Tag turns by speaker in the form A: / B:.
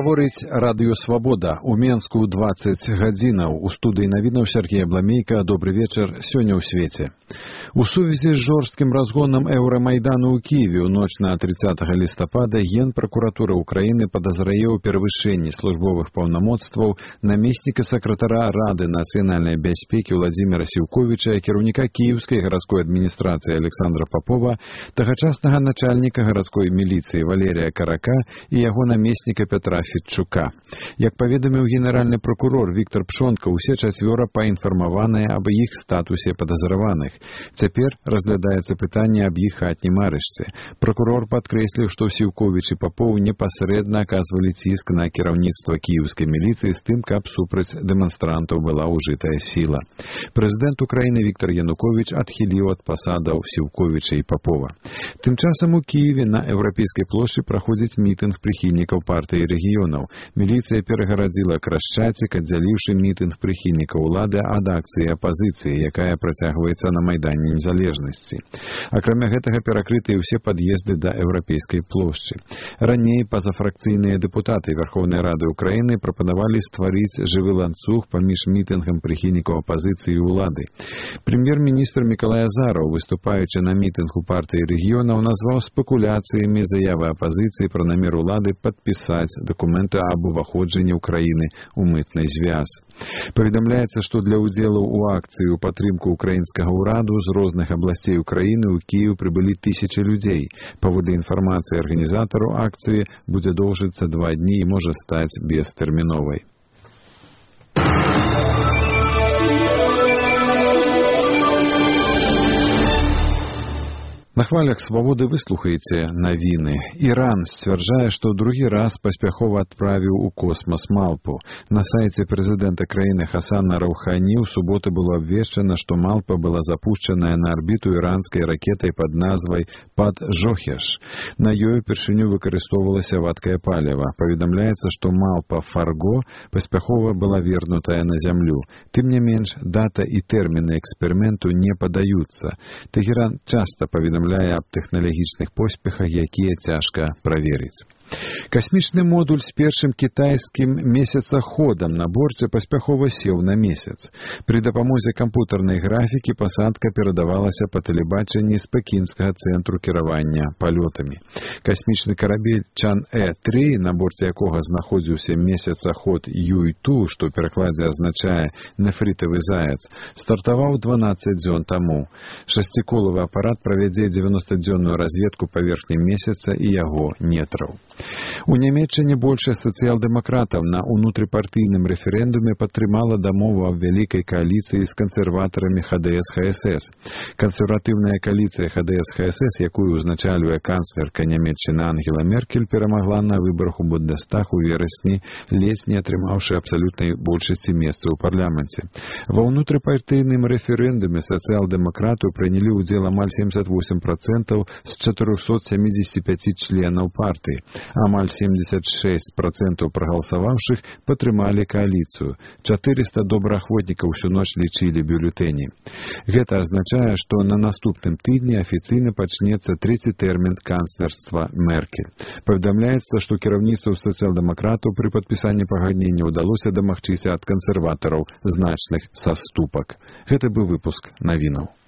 A: Гаворыць радыё «Свабода». У Менску 20 гадзінаў. У студыі навінаў Сергей Абламейка. Добры вечар. Сёння ў свеце. У сувязі з жорсткім разгонам Еўрамайдану ў Кіеве ў ноч на 30 лістапада Генпракуратура Украіны падазрае ў перавышэнні службовых паўнамоцтваў намесніка сакратара Рады нацыянальнай бяспекі Владзіміра Сіўковіча, кіраўніка Кіеўскай гарадской адміністрацыі Александра Попова, тагачаснага начальніка гарадской міліцыі Валерія Карака і яго намесніка Петра Федчука. Як паведаміў генеральны прокурор Віктор Пшонка, усе чацвёра паінфармаваныя аб іх статусе падазраваных. Цяпер разглядаецца пытанне аб іх хатнім арышце. Прокурор падкрэсліў, што Сіўковіч і Попов непасрэдна аказвалі ціск на кіраўніцтва кіеўскай міліцыі з тым, каб супраць дэманстрантаў была ўжытая сіла. Прэзідэнт Украіны Віктор Януковіч адхіліў ад пасадаў Сіўковіча і Попова. Тым часам у Кіеве на Еўрапейскай плошчы праходзіць мітынг прыхільнікаў партыі рэгіёнаў. Міліцыя перагарадзіла Крашчацік, аддзяліўшы мітынг прыхільнікаў улады ад акцыі апазіцыі, якая працягваецца на Майдане Незалежнасці. Акрамя гэтага перакрытыя ўсе пад'езды да Еўрапейскай плошчы. Раней пазафракцыйныя дэпутаты Верховнай Рады Украіны прапанавалі стварыць жывы ланцуг паміж мітынгам прыхільнікаў апазіцыі і улады. Прэм'ер-міністр Мікалай Азараў, выступаючы на мітынгу партыі рэгіёнаў, назваў спекуляцыямі заявы апазіцыі пра намер улады падпісаць дакументы аб уваходжанні Украіны ў мытны звяз. Паведамляецца, што для ўдзелу ў акцыі ў падтрымку украінскага ўраду з розных абласцей Украіны ў Кіеў прыбылі тысячы людзей. Паводле інфармацыі арганізатараў акцыі, будзе доўжыцца 2 дні і можа стаць бестэрміновай. На хвалях «Свабоды» выслухаеце навіны. Іран сцвярджае, што другі раз паспяхова адправіў у космас малпу. На сайце прэзідэнта краіны Хасана Раухані ў суботу было абвешчана, што малпа была запушчаная на арбіту іранскай ракетай пад назвай «Пад-Жохеш». На ёй упершыню выкарыстоўвалася вадкае паліва. Паведамляецца, што малпа «Фарго» паспяхова была вернутая на зямлю. Тым не менш, дата і тэрміны эксперыменту не падаюцца. Тэхеран часта паведамляе аб тэхналагічных поспехах, якія цяжка праверыць. Касмічны модуль з першым кітайскім месяцаходам на борце паспяхова сеў на месяц. Пры дапамозе кампутарнай графікі пасадка перадавалася па тэлебачанні з пекінскага цэнтру кіравання палётамі. Касмічны карабель Чан-Э-3, на борце якога знаходзіўся месяцаход Юй-Ту, што ў перакладзе азначае «нефрітавы заяц», стартаваў 12 дзён таму. Шасціколавы апарат правядзе 90-дзённую разведку паверхні месяца і яго нетраў. У Нямецчыне большасць сацыял-дэмакратаў на ўнутрыпартыйным рэферэндуме падтрымала дамову аб вялікай кааліцыі з кансерватарамі ХДС-ХСС. Кансерватыўная кааліцыя ХДС-ХСС, якую ўзначальвае канцлерка Нямецчыны Ангела Меркель, перамагла на выбарах у Бундестаг у верасні, ледзь не атрымаўшы абсалютнай большасці месцаў у парламенце. Ва ўнутрыпартыйным рэферэндуме сацыял-дэмакратаў прынялі ўдзел амаль 78% з 475 членаў партыі. Амаль 76% прагаласаваўшых падтрымалі кааліцыю. 400 добраахвотнікаў усю ноч лічылі бюлетэні. Гэта азначае, што на наступным тыдні афіцыйна пачнецца трэці тэрмін канцлерства Меркель. Паведамляецца, што кіраўніцтву сацыял-дэмакратаў пры падпісанні пагаднення ўдалося дамагчыся ад кансерватараў значных саступак. Гэта быў выпуск навінаў.